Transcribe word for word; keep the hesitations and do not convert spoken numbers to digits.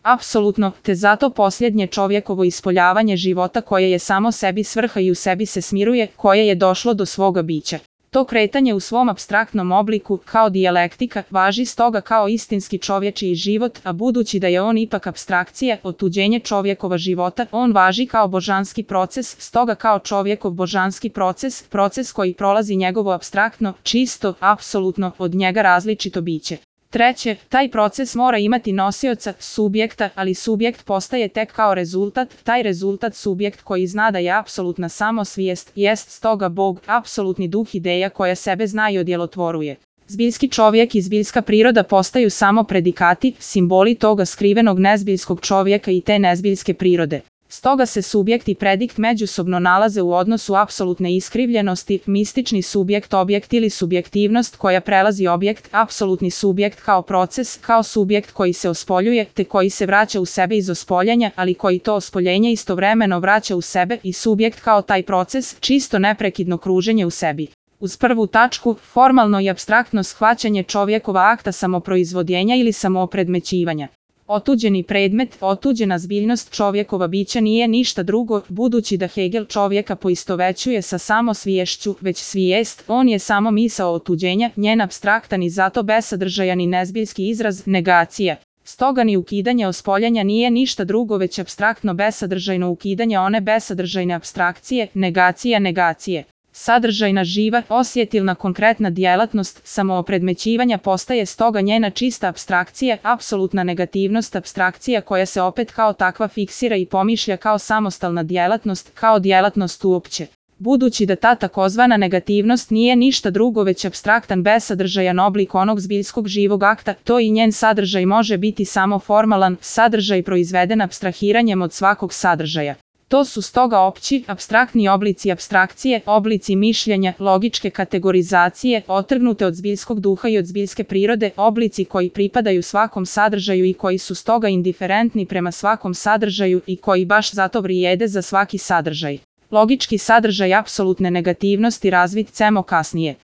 Apsolutno, te zato posljednje čovjekovo ispoljavanje života koje je samo sebi svrha i u sebi se smiruje, koje je došlo do svoga bića. To kretanje u svom apstraktnom obliku, kao dijalektika, važi stoga kao istinski čovječiji život, a budući da je on ipak apstrakcija, otuđenje čovjekova života, on važi kao božanski proces, stoga kao čovjekov božanski proces, proces koji prolazi njegovo apstraktno, čisto, apsolutno, od njega različito biće. Treće, taj proces mora imati nosioca, subjekta, ali subjekt postaje tek kao rezultat, taj rezultat subjekt koji zna da je apsolutna samosvijest, jest stoga Bog, apsolutni duh ideja koja sebe zna i odjelotvoruje. Zbiljski čovjek i zbiljska priroda postaju samo predikati, simboli toga skrivenog nezbiljskog čovjeka i te nezbiljske prirode. Stoga se subjekt i predikt međusobno nalaze u odnosu apsolutne iskrivljenosti, mistični subjekt objekt ili subjektivnost koja prelazi objekt, apsolutni subjekt kao proces, kao subjekt koji se ospoljuje, te koji se vraća u sebe iz ospoljanja, ali koji to ospoljenje istovremeno vraća u sebe i subjekt kao taj proces, čisto neprekidno kruženje u sebi. Uz prvu tačku, formalno i apstraktno shvaćanje čovjekova akta samoproizvodjenja ili samoopredmećivanja. Otuđeni predmet, otuđena zbiljnost čovjekova bića nije ništa drugo, budući da Hegel čovjeka poistovećuje sa samosviješću, već svijest, on je samo misao otuđenja, njen apstraktan i zato besadržajan i nezbiljski izraz, negacija. Stoga ni ukidanje ospoljanja nije ništa drugo već apstraktno besadržajno ukidanje one besadržajne apstrakcije, negacija negacije. Sadržajna živa, osjetilna konkretna djelatnost samoopredmećivanja postaje stoga njena čista apstrakcija, apsolutna negativnost apstrakcija koja se opet kao takva fiksira i pomišlja kao samostalna djelatnost, kao djelatnost uopće. Budući da ta takozvana negativnost nije ništa drugo već apstraktan besadržajan oblik onog zbiljskog živog akta, to i njen sadržaj može biti samo formalan, sadržaj proizveden apstrahiranjem od svakog sadržaja. To su stoga opći, apstraktni oblici apstrakcije, oblici mišljenja, logičke kategorizacije, otrgnute od zbiljskog duha i od zbiljske prirode, oblici koji pripadaju svakom sadržaju i koji su stoga indiferentni prema svakom sadržaju i koji baš zato vrijede za svaki sadržaj. Logički sadržaj apsolutne negativnosti razvit ćemo kasnije.